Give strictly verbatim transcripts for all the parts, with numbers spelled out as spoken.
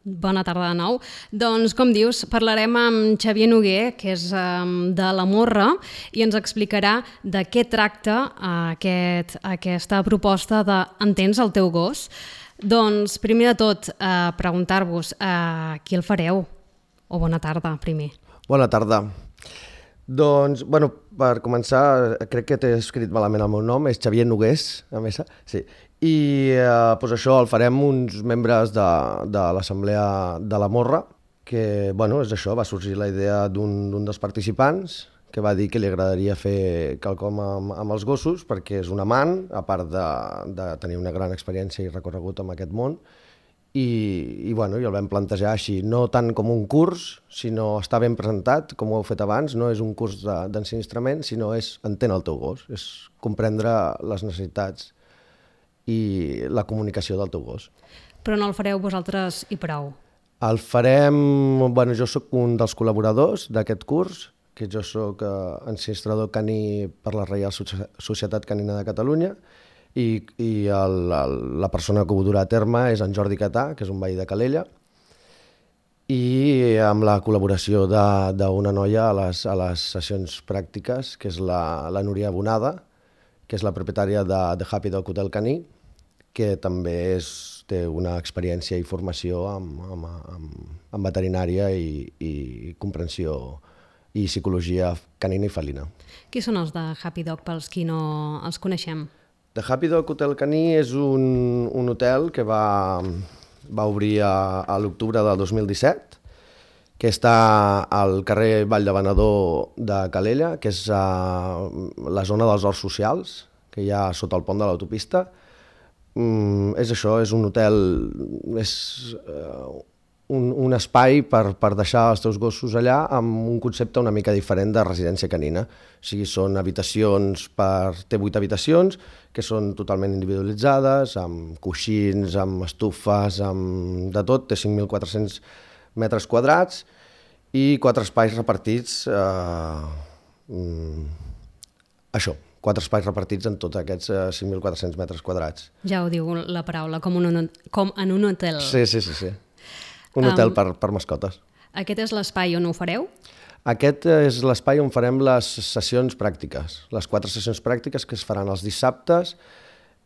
Bona tarda de nou. Doncs, com dius, parlarem amb Xavier Noguer, que és um, de la Morra, i ens explicarà de què tracta uh, aquest, aquesta proposta de Entens el teu gos. Doncs, primer de tot, uh, preguntar-vos uh, qui el fareu? O bona tarda, primer. Bona tarda. Doncs, bueno, per començar, crec que t'he escrit malament el meu nom, és Xavier Nogués, a més, sí. I eh, doncs això el farem uns membres de, de l'Assemblea de la Morra, que, bueno, és això, va sorgir la idea d'un d'un dels participants, que va dir que li agradaria fer quelcom amb, amb els gossos, perquè és un amant, a part de, de tenir una gran experiència i recorregut en aquest món, i, i, bueno, i el vam plantejar així, no tant com un curs, sinó està ben presentat, com ho heu fet abans, no és un curs d'ensinistrament, sinó és entén el teu gos, és comprendre les necessitats i la comunicació del teu gos. Però no el fareu vosaltres i prou? El farem, bueno, jo sóc un dels col·laboradors d'aquest curs, que jo sóc eh, ensinistrador caní per la Reial Societat Canina de Catalunya, i, i el, el, la persona que ho durà a terme és en Jordi Catà, que és un veí de Calella, i amb la col·laboració d'una noia a les, a les sessions pràctiques, que és la, la Núria Bonada, que és la propietària de, de Happy Dog Hotel Caní, que també és, té una experiència i formació amb, amb, amb, amb veterinària i, i comprensió i psicologia canina i felina. Qui són els de Happy Dog, pels qui no els coneixem? The Happy Dog Hotel Caní és un, un hotel que va, va obrir a, a l'octubre del dos mil disset, que està al carrer Vall de Venedor de Calella, que és a la zona dels horts socials, que hi ha sota el pont de l'autopista. Mm, és això, és un hotel, és uh, un, un espai per, per deixar els teus gossos allà amb un concepte una mica diferent de residència canina. O sigui, són habitacions per... té vuit habitacions, que són totalment individualitzades, amb coixins, amb estufes, amb de tot, té cinc mil quatre-cents metres quadrats i quatre espais repartits, eh, mm, això, quatre espais repartits en tots aquests eh, cinc mil quatre-cents metres quadrats. Ja ho diu la paraula, com, un, com en un hotel. Sí, sí, sí, sí. Un hotel um, per, per mascotes. Aquest és l'espai on ho fareu? Aquest és l'espai on farem les sessions pràctiques, les quatre sessions pràctiques que es faran els dissabtes,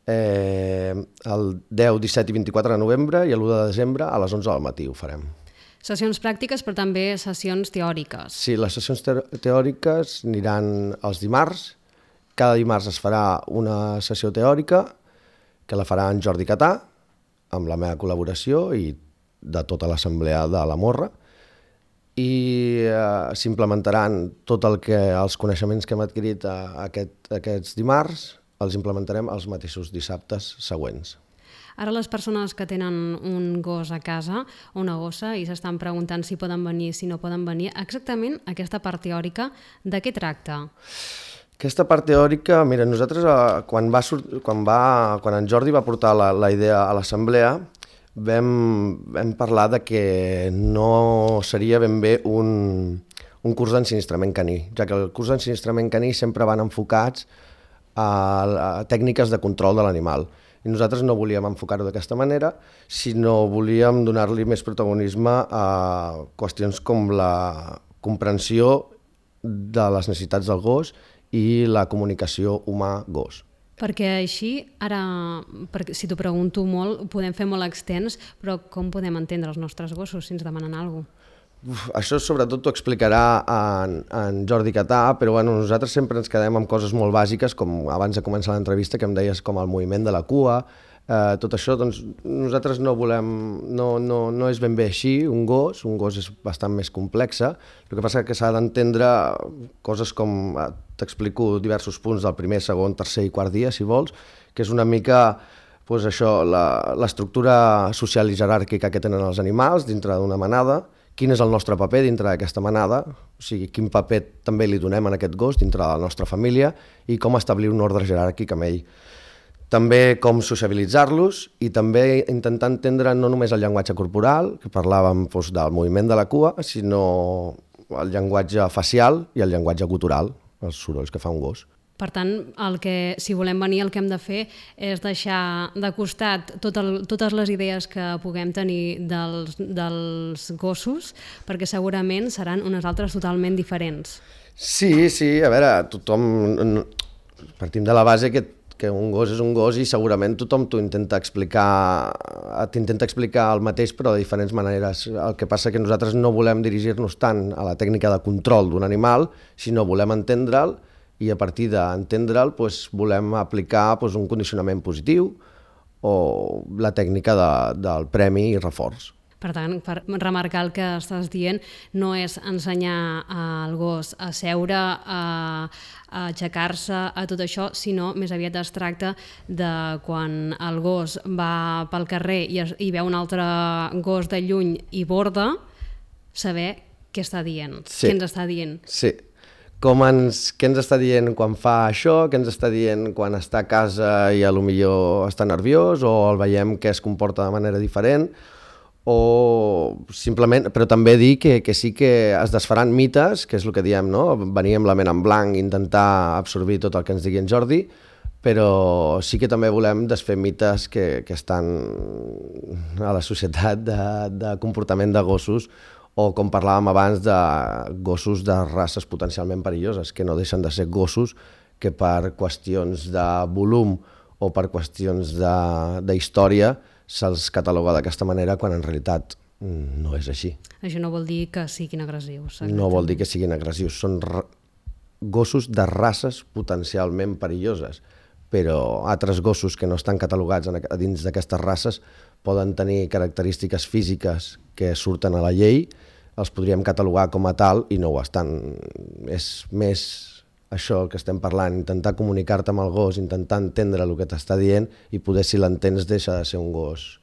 eh, el deu, disset i vint-i-quatre de novembre i l'u de desembre a les onze del matí ho farem. Sessions pràctiques, però també sessions teòriques. Sí, les sessions te teòriques aniran els dimarts. Cada dimarts es farà una sessió teòrica que la farà en Jordi Catà, amb la meva col·laboració i de tota l'assemblea de la Morra, i eh, s'implementaran tot el que els coneixements que hem adquirit a, a aquest, aquests dimarts, els implementarem els mateixos dissabtes següents. Ara les persones que tenen un gos a casa, una gossa, i s'estan preguntant si poden venir, si no poden venir, exactament aquesta part teòrica, de què tracta? Aquesta part teòrica, mira, nosaltres eh, quan, va, quan, va, quan en Jordi va portar la, la idea a l'assemblea, Vam, vam parlar de que no seria ben bé un, un curs d'ensinistrament caní, ja que el curs d'ensinistrament caní sempre van enfocats a, a tècniques de control de l'animal. I nosaltres no volíem enfocar-ho d'aquesta manera, sinó volíem donar-li més protagonisme a qüestions com la comprensió de les necessitats del gos i la comunicació humà-gos. Perquè així, ara, perquè si t'ho pregunto molt, ho podem fer molt extens, però com podem entendre els nostres gossos si ens demanen alguna cosa? Uf, això sobretot t'ho explicarà en, en Jordi Catà, però bueno, nosaltres sempre ens quedem amb coses molt bàsiques, com abans de començar l'entrevista que em deies com el moviment de la cua, eh, tot això, doncs nosaltres no volem, no, no, no és ben bé així, un gos, un gos és bastant més complexa, el que passa és que s'ha d'entendre coses com, t'explico diversos punts del primer, segon, tercer i quart dia, si vols, que és una mica doncs això, l'estructura social i jeràrquica que tenen els animals dintre d'una manada, quin és el nostre paper dintre d'aquesta manada, o sigui, quin paper també li donem a aquest gos dintre de la nostra família i com establir un ordre jeràrquic amb ell. També com sociabilitzar-los i també intentar entendre no només el llenguatge corporal, que parlàvem doncs, del moviment de la cua, sinó el llenguatge facial i el llenguatge gutural, els sorolls que fa un gos. Per tant, el que, si volem venir, el que hem de fer és deixar de costat tot el, totes les idees que puguem tenir dels, dels gossos, perquè segurament seran unes altres totalment diferents. Sí, sí, a veure, tothom... Partim de la base que, que un gos és un gos i segurament tothom t'ho intenta explicar, t'intenta explicar el mateix però de diferents maneres. El que passa que nosaltres no volem dirigir-nos tant a la tècnica de control d'un animal, sinó volem entendre'l i a partir d'entendre'l doncs, volem aplicar doncs, un condicionament positiu o la tècnica de, del premi i reforç. Per tant, per remarcar el que estàs dient, no és ensenyar al gos a seure, a, a aixecar-se, a tot això, sinó més aviat es tracta de quan el gos va pel carrer i, es, i veu un altre gos de lluny i borda, saber què està dient, sí. què ens està dient. Sí. Com ens, què ens està dient quan fa això, què ens està dient quan està a casa i a lo millor està nerviós o el veiem que es comporta de manera diferent, o simplement, però també dir que, que sí que es desfaran mites, que és el que diem, no? Venir amb la ment en blanc, intentar absorbir tot el que ens digui en Jordi, però sí que també volem desfer mites que, que estan a la societat de, de comportament de gossos, o com parlàvem abans de gossos de races potencialment perilloses, que no deixen de ser gossos que per qüestions de volum o per qüestions d'història se'ls cataloga d'aquesta manera quan en realitat no és així. Això no vol dir que siguin agressius. Exactament. No vol dir que siguin agressius, són gossos de races potencialment perilloses, però altres gossos que no estan catalogats a dins d'aquestes races poden tenir característiques físiques que surten a la llei, els podríem catalogar com a tal i no ho estan. És més això que estem parlant, intentar comunicar-te amb el gos, intentar entendre el que t'està dient i poder, si l'entens, deixa de ser un gos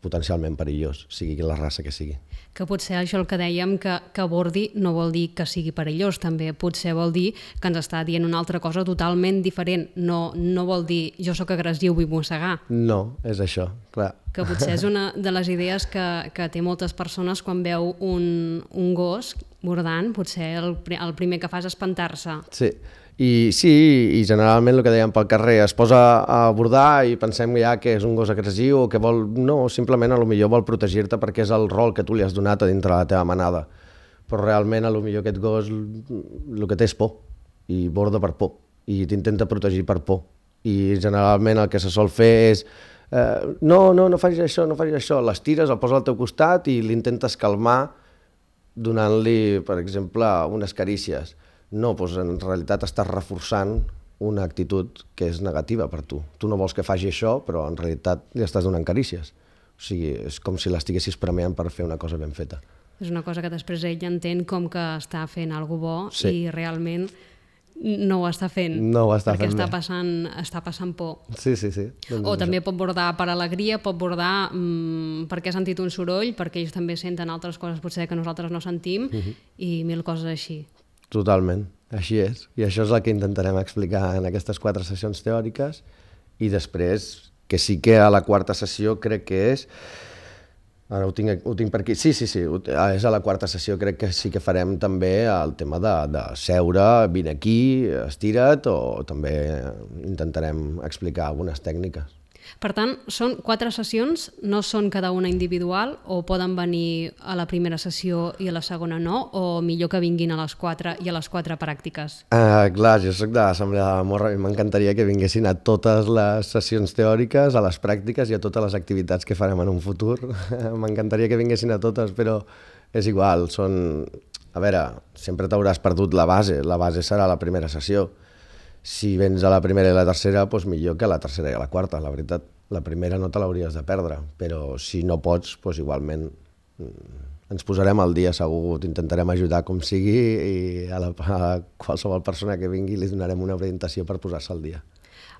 potencialment perillós, sigui la raça que sigui. Que potser això el que dèiem, que, que bordi no vol dir que sigui perillós, també potser vol dir que ens està dient una altra cosa totalment diferent. No, no vol dir jo sóc agressiu, vull mossegar. No, és això, clar. Que potser és una de les idees que, que té moltes persones quan veu un, un gos bordant, potser el, el primer que fa és espantar-se. Sí. I sí, i generalment el que dèiem pel carrer, es posa a bordar i pensem ja que és un gos agressiu o que vol... No, simplement a lo millor vol protegir-te perquè és el rol que tu li has donat a dintre de la teva manada. Però realment a lo millor aquest gos el que té és por i borda per por i t'intenta protegir per por. I generalment el que se sol fer és eh, no, no, no facis això, no facis això, l'estires, el poses al teu costat i l'intentes calmar donant-li, per exemple, unes carícies. No, doncs en realitat estàs reforçant una actitud que és negativa per tu. Tu no vols que faci això, però en realitat li estàs donant carícies. O sigui, és com si l'estiguessis premiant per fer una cosa ben feta. És una cosa que després ell entén com que està fent alguna bo sí. i realment no ho està fent. No ho està perquè fent està bé. passant, està passant por. Sí, sí, sí. Doncs o també això. Pot bordar per alegria, pot bordar mmm, perquè ha sentit un soroll, perquè ells també senten altres coses potser que nosaltres no sentim uh-huh. i mil coses així. Totalment, així és. I això és el que intentarem explicar en aquestes quatre sessions teòriques i després, que sí que a la quarta sessió crec que és... Ara ho tinc, ho tinc per aquí. Sí, sí, sí, és a la quarta sessió, crec que sí que farem també el tema de, de seure, vine aquí, estira't, o també intentarem explicar algunes tècniques. Per tant, són quatre sessions, no són cada una individual, o poden venir a la primera sessió i a la segona no, o millor que vinguin a les quatre i a les quatre pràctiques? Uh, clar, jo soc de l'Assemblea de la Morra i m'encantaria que vinguessin a totes les sessions teòriques, a les pràctiques i a totes les activitats que farem en un futur. M'encantaria que vinguessin a totes, però és igual, són... A veure, sempre t'hauràs perdut la base, la base serà la primera sessió. Si vens a la primera i la tercera, doncs millor que a la tercera i a la quarta, la veritat. La primera no te l'hauries de perdre, però si no pots, doncs igualment ens posarem al dia segur, t'intentarem ajudar com sigui i a, la, a qualsevol persona que vingui li donarem una orientació per posar-se al dia.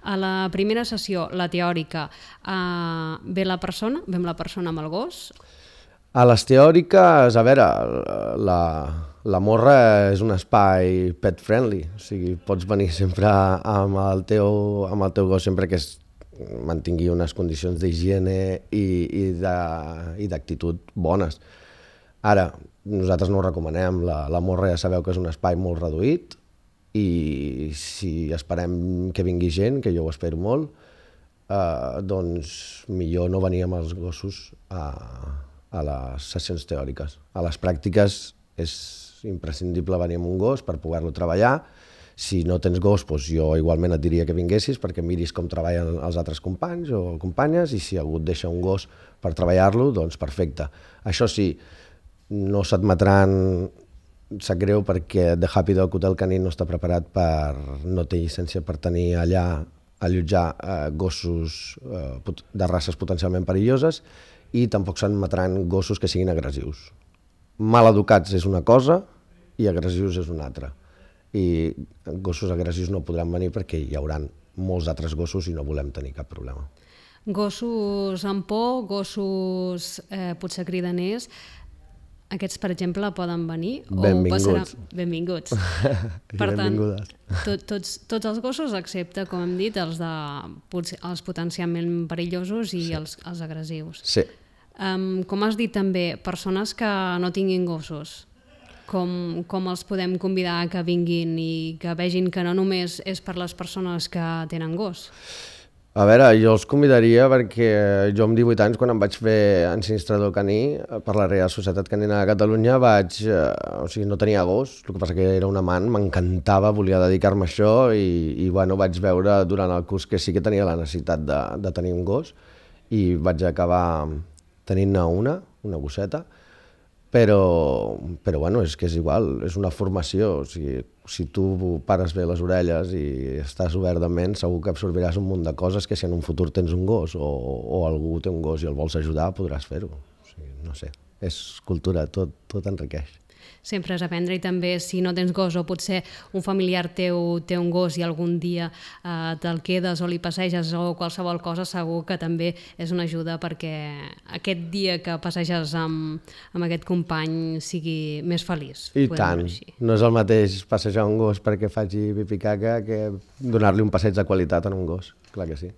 A la primera sessió, la teòrica, eh, ve la persona, ve amb la persona amb el gos? A les teòriques, a veure, la... La Morra és un espai pet friendly, o sigui, pots venir sempre amb el teu, amb el teu gos sempre que es mantingui unes condicions d'higiene i, i d'actitud bones. Ara, nosaltres no ho recomanem, la, la Morra ja sabeu que és un espai molt reduït, i si esperem que vingui gent, que jo ho espero molt, eh, doncs millor no venir amb els gossos a, a les sessions teòriques. A les pràctiques és imprescindible venir amb un gos per poder-lo treballar. Si no tens gos, doncs jo igualment et diria que vinguessis perquè miris com treballen els altres companys o companyes, i si algú et deixa un gos per treballar-lo, doncs perfecte. Això sí, no s'admetran, sap greu perquè The Happy Dog Hotel Caní no està preparat per, no té llicència per tenir allà, allotjar eh, gossos eh, de races potencialment perilloses, i tampoc s'admetran gossos que siguin agressius. Mal educats és una cosa i agressius és una altra. I gossos agressius no podran venir perquè hi haurà molts altres gossos i no volem tenir cap problema. Gossos amb por, gossos eh, potser cridaners, aquests, per exemple, poden venir? Benvinguts. O passarà... Benvinguts. Per tant, benvingudes. tot, tots, tots els gossos, excepte, com hem dit, els, de, els potencialment perillosos i sí. els, els agressius. Sí. Um, com has dit també, persones que no tinguin gossos, com, com els podem convidar a que vinguin i que vegin que no només és per les persones que tenen gos? A veure, jo els convidaria perquè jo amb divuit anys, quan em vaig fer ensinistrador caní per la Reial Societat Canina de Catalunya, vaig, eh, o sigui, no tenia gos, el que passa que era un amant, m'encantava, volia dedicar-me a això i, i bueno, vaig veure durant el curs que sí que tenia la necessitat de, de tenir un gos i vaig acabar tenint-ne una, una gosseta, però, però bueno, és que és igual, és una formació, o sigui, si tu pares bé les orelles i estàs obert de ment, segur que absorbiràs un munt de coses que si en un futur tens un gos o, o algú té un gos i el vols ajudar, podràs fer-ho. O sigui, no sé, és cultura, tot, tot enriqueix. Sempre és aprendre, i també si no tens gos o potser un familiar teu té un gos i algun dia eh, te'l quedes o li passeges o qualsevol cosa, segur que també és una ajuda perquè aquest dia que passeges amb, amb aquest company sigui més feliç. I tant, no és el mateix passejar un gos perquè faci pipi caca que donar-li un passeig de qualitat a un gos, clar que sí.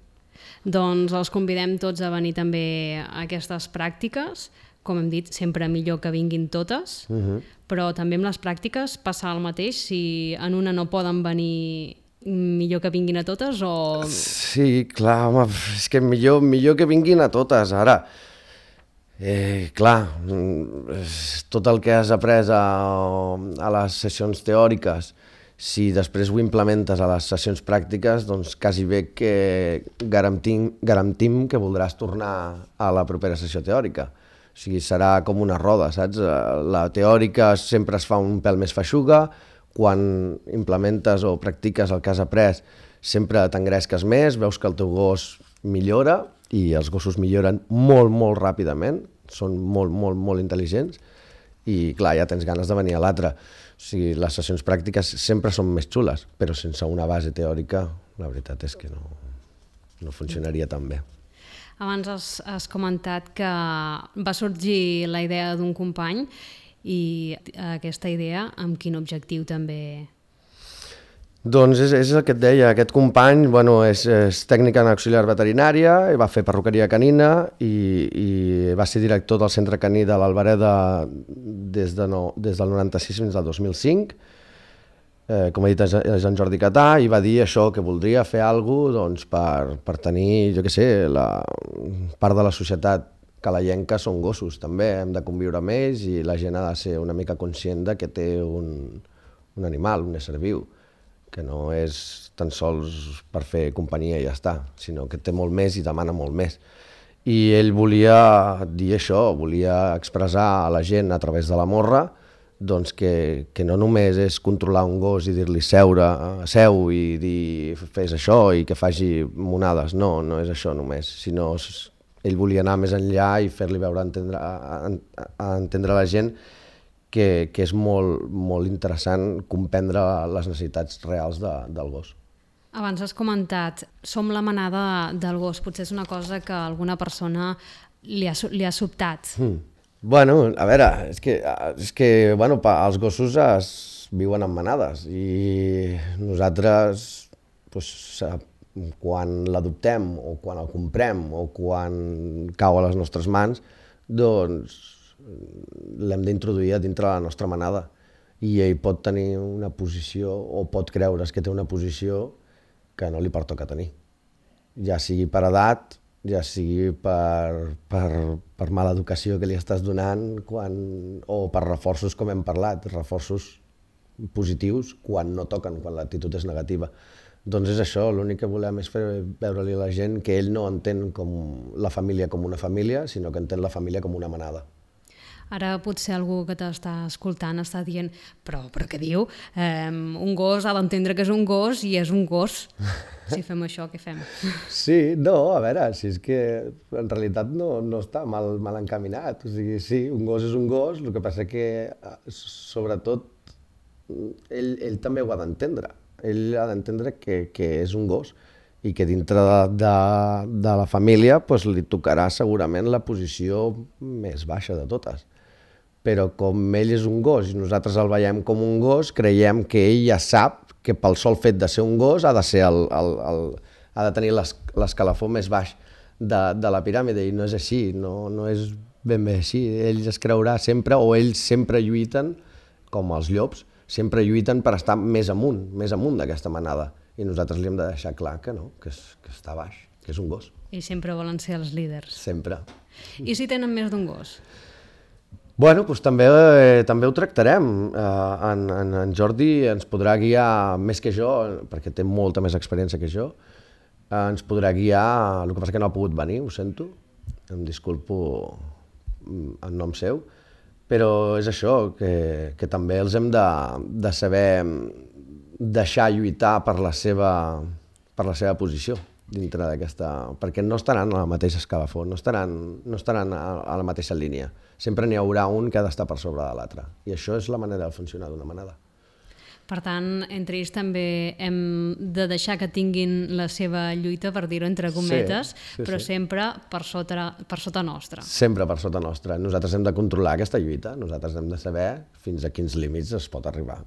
Doncs els convidem tots a venir també a aquestes pràctiques. Com hem dit, sempre millor que vinguin totes, uh-huh. però també amb les pràctiques passa el mateix, si en una no poden venir, millor que vinguin a totes o... Sí, clar, home, és que millor, millor que vinguin a totes, ara. Eh, clar, tot el que has après a, a les sessions teòriques, si després ho implementes a les sessions pràctiques, doncs quasi bé que garantim, garantim que voldràs tornar a la propera sessió teòrica. O sigui, serà com una roda, saps? La teòrica sempre es fa un pèl més feixuga, quan implementes o practiques el que has après sempre t'engresques més, veus que el teu gos millora, i els gossos milloren molt, molt ràpidament, són molt, molt, molt intel·ligents, i clar, ja tens ganes de venir a l'altre. O sigui, les sessions pràctiques sempre són més xules, però sense una base teòrica, la veritat és que no, no funcionaria tan bé. Abans has, has comentat que va sorgir la idea d'un company, i aquesta idea amb quin objectiu també? Doncs és, és el que et deia, aquest company bueno, és, és tècnic en auxiliar veterinària, va fer perruqueria canina i, i va ser director del centre caní de l'Albereda des, de no, des del noranta-sis fins al dos mil cinc. Eh, com he dit, és en Jordi Catà, i va dir això, que voldria fer alguna cosa doncs, per, per tenir, jo què sé, la part de la societat calaienca són gossos, també hem de conviure amb ells i la gent ha de ser una mica conscient de que té un, un animal, un ésser viu, que no és tan sols per fer companyia i ja està, sinó que té molt més i demana molt més. I ell volia dir això, volia expressar a la gent a través de la morra doncs que, que no només és controlar un gos i dir-li seure, seu i dir fes això i que faci monades, no, no és això només, sinó ell volia anar més enllà i fer-li veure, a entendre, a, a entendre a la gent que, que és molt, molt interessant comprendre les necessitats reals de, del gos. Abans has comentat, som la manada del gos, potser és una cosa que alguna persona li ha, li ha sobtat. Mm. Bueno, a veure, és que, és que bueno, els gossos es viuen en manades i nosaltres doncs, quan l'adoptem o quan el comprem o quan cau a les nostres mans, doncs l'hem d'introduir a dintre la nostra manada i ell pot tenir una posició o pot creure's que té una posició que no li pertoca tenir. Ja sigui per edat, ja sigui per, per, per mala educació que li estàs donant quan, o per reforços com hem parlat, reforços positius quan no toquen, quan l'actitud és negativa. Doncs és això, l'únic que volem és fer veure-li a la gent que ell no entén com la família com una família, sinó que entén la família com una manada. Ara potser algú que t'està escoltant està dient però, però què diu? Eh, un gos ha d'entendre que és un gos i és un gos. Si fem això, què fem? Sí, no, a veure, si és que en realitat no, no està mal, mal encaminat. O sigui, sí, un gos és un gos, el que passa que sobretot ell, ell també ho ha d'entendre. Ell ha d'entendre que, que és un gos i que dintre de, de, de la família pues, li tocarà segurament la posició més baixa de totes. Però com ell és un gos i nosaltres el veiem com un gos, creiem que ell ja sap que pel sol fet de ser un gos ha de, ser el, el, el, ha de tenir l'escalafó més baix de, de la piràmide, i no és així, no, no és ben bé així. Ell es creurà sempre, o ells sempre lluiten, com els llops, sempre lluiten per estar més amunt, més amunt d'aquesta manada. I nosaltres li hem de deixar clar que no, que, és, que està baix, que és un gos. I sempre volen ser els líders. Sempre. I si tenen més d'un gos? Bueno, doncs també, eh, també ho tractarem. Eh, en, en, en Jordi ens podrà guiar més que jo, perquè té molta més experiència que jo. Eh, ens podrà guiar, el que passa que no ha pogut venir, ho sento, em disculpo en nom seu, però és això, que, que també els hem de, de saber deixar lluitar per la seva, per la seva posició dintre d'aquesta... perquè no estaran a la mateixa escalafó, no estaran, no estaran a, a la mateixa línia. Sempre n'hi haurà un que ha d'estar per sobre de l'altre. I això és la manera de funcionar d'una manada. Per tant, entre ells també hem de deixar que tinguin la seva lluita, per dir-ho entre cometes, sí, sí, però sí. sempre per sota, per sota nostra. Sempre per sota nostra. Nosaltres hem de controlar aquesta lluita, nosaltres hem de saber fins a quins límits es pot arribar.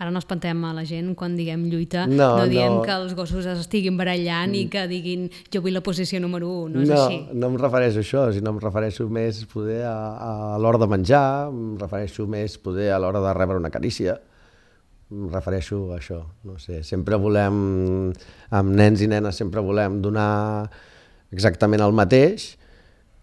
Ara no espantem a la gent quan diguem lluita, no, no diem no. que els gossos es estiguin barallant mm. i que diguin jo vull la posició número un, no és no, així. No em refereixo a això, sinó em refereixo més poder a, a l'hora de menjar, em refereixo més poder a l'hora de rebre una carícia, em refereixo a això, no sé, sempre volem, amb nens i nenes sempre volem donar exactament el mateix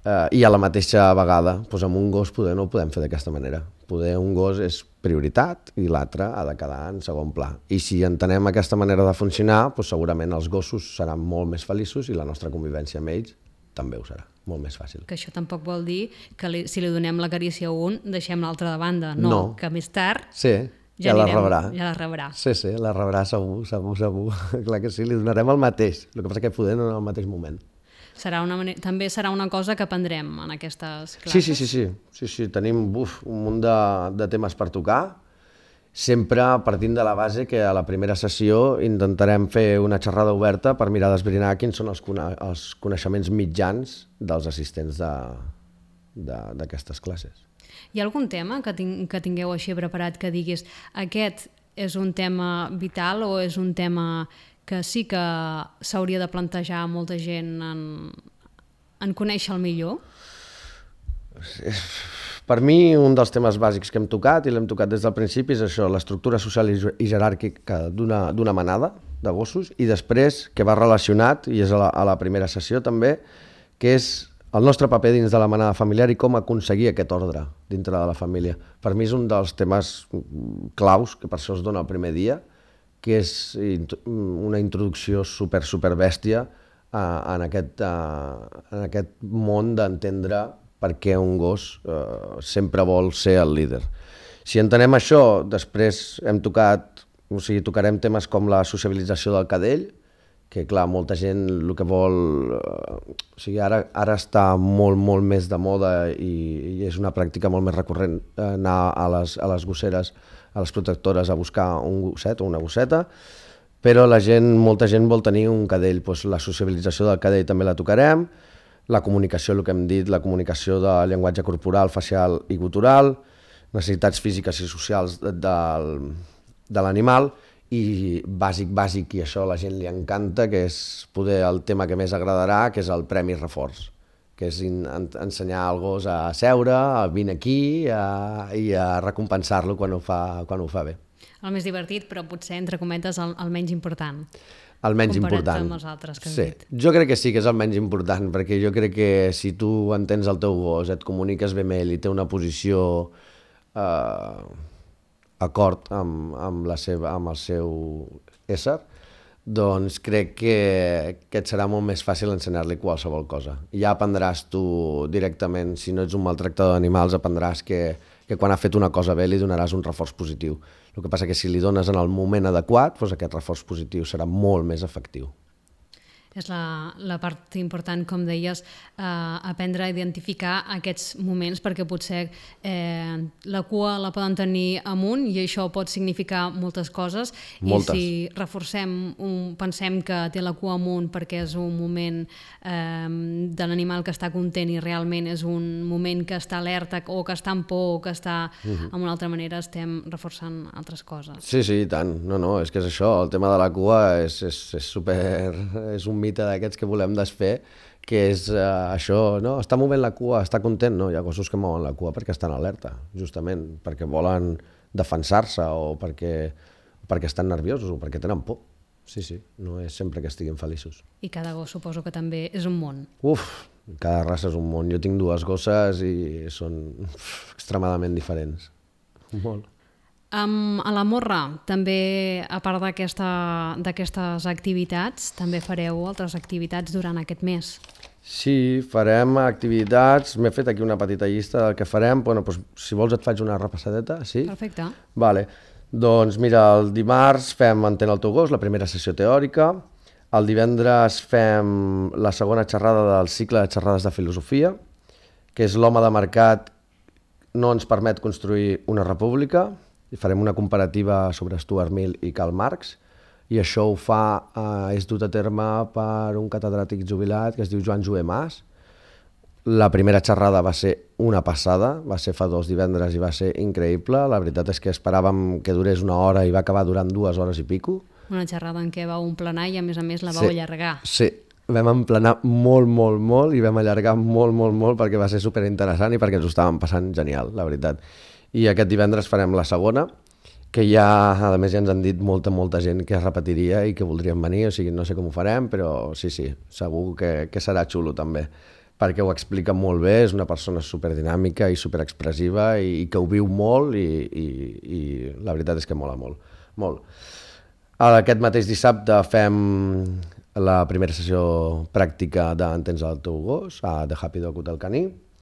eh, i a la mateixa vegada, doncs amb un gos poder no ho podem fer d'aquesta manera. Poder un gos és prioritat i l'altre ha de quedar en segon pla. I si entenem aquesta manera de funcionar, doncs segurament els gossos seran molt més feliços i la nostra convivència amb ells també ho serà, molt més fàcil. Que això tampoc vol dir que li, si li donem la carícia a un, deixem l'altre de banda. No, no, que més tard sí, ja, ja anirem, la rebrà. Ja la rebrà. Sí, sí, la rebrà segur, segur, segur. Clar que sí, li donarem el mateix. El que passa que poder no en el mateix moment. Serà una manera, també serà una cosa que aprendrem en aquestes classes? Sí, sí, sí, sí. sí, sí. Tenim buf, un munt de, de temes per tocar, sempre partint de la base que a la primera sessió intentarem fer una xerrada oberta per mirar d'esbrinar quins són els, cone els coneixements mitjans dels assistents d'aquestes classes. Hi ha algun tema que, ting que tingueu així preparat que diguis aquest és un tema vital o és un tema que sí que s'hauria de plantejar molta gent en, en conèixer-lo millor? Per mi, un dels temes bàsics que hem tocat, i l'hem tocat des del principi, és això, l'estructura social i jeràrquica d'una manada de gossos, i després, que va relacionat, i és a la, a la primera sessió també, que és el nostre paper dins de la manada familiar i com aconseguir aquest ordre dintre de la família. Per mi és un dels temes claus, que per això es dona el primer dia, que és una introducció super, super bèstia en aquest, en aquest món d'entendre per què un gos eh, sempre vol ser el líder. Si entenem això, després hem tocat, o sigui, tocarem temes com la sociabilització del cadell, que clar, molta gent el que vol... Eh, o sigui, ara, ara està molt, molt més de moda i, i és una pràctica molt més recurrent anar a les, a les gosseres, a les protectores a buscar un gosset o una gosseta, però la gent, molta gent vol tenir un cadell. Doncs la sociabilització del cadell també la tocarem, la comunicació, el que hem dit, la comunicació de llenguatge corporal, facial i gutural, necessitats físiques i socials de, de, de l'animal, i bàsic, bàsic, i això a la gent li encanta, que és poder el tema que més agradarà, que és el premi reforç, que és in, en, ensenyar al gos a seure, a vine aquí a, i a recompensar-lo quan ho fa, quan ho fa bé. El més divertit, però potser, entre cometes, el, el menys important. El menys comparat important. amb els altres que has sí. dit. Jo crec que sí que és el menys important, perquè jo crec que si tu entens el teu gos, et comuniques bé amb ell i té una posició eh, acord amb, amb, la seva, amb el seu ésser, doncs crec que, que et serà molt més fàcil ensenyar-li qualsevol cosa. I ja aprendràs tu directament, si no ets un maltractador d'animals, aprendràs que, que quan ha fet una cosa bé li donaràs un reforç positiu. El que passa que si li dones en el moment adequat, doncs aquest reforç positiu serà molt més efectiu. És la, la part important, com deies, eh, aprendre a identificar aquests moments, perquè potser eh, la cua la poden tenir amunt i això pot significar moltes coses. Moltes. I si reforcem, un, pensem que té la cua amunt perquè és un moment eh, de l'animal que està content i realment és un moment que està alerta o que està en por o que està uh-huh. amb una altra manera, estem reforçant altres coses. Sí, sí, i tant. No, no, és que és això. El tema de la cua és, és, és super... és un mite d'aquests que volem desfer, que és uh, això, no? Està movent la cua, està content, no? Hi ha gossos que mouen la cua perquè estan alerta, justament, perquè volen defensar-se o perquè, perquè estan nerviosos o perquè tenen por. Sí, sí, no és sempre que estiguin feliços. I cada gos suposo que també és un món. Uf, cada raça és un món. Jo tinc dues gosses i són uf, extremadament diferents. Molt. Um, a la Morra, també, a part d'aquestes activitats, també fareu altres activitats durant aquest mes. Sí, farem activitats. M'he fet aquí una petita llista del que farem. Bueno, doncs, si vols et faig una repassadeta, sí? Perfecte. Vale. Doncs mira, el dimarts fem Entén el teu gos, la primera sessió teòrica. El divendres fem la segona xerrada del cicle de xerrades de filosofia, que és l'home de mercat no ens permet construir una república. I farem una comparativa sobre Stuart Mill i Karl Marx, i això ho fa, eh, és dut a terme per un catedràtic jubilat que es diu Joan Joé Mas. La primera xerrada va ser una passada, va ser fa dos divendres i va ser increïble. La veritat és que esperàvem que durés una hora i va acabar durant dues hores i pico. Una xerrada en què vau emplenar i a més a més la vau sí, allargar. Sí, vam emplenar molt, molt, molt i vam allargar molt, molt, molt perquè va ser superinteressant i perquè ens ho estàvem passant genial, la veritat. I aquest divendres farem la segona, que ja, a més, ja ens han dit molta, molta gent que es repetiria i que voldrien venir, o sigui, no sé com ho farem, però sí, sí, segur que, que serà xulo també, perquè ho explica molt bé, és una persona superdinàmica i superexpressiva i, i que ho viu molt i, i, i la veritat és que mola molt, molt. Aquest mateix dissabte fem la primera sessió pràctica d'Entens el teu gos, a The Happy Dog Hotel Caní.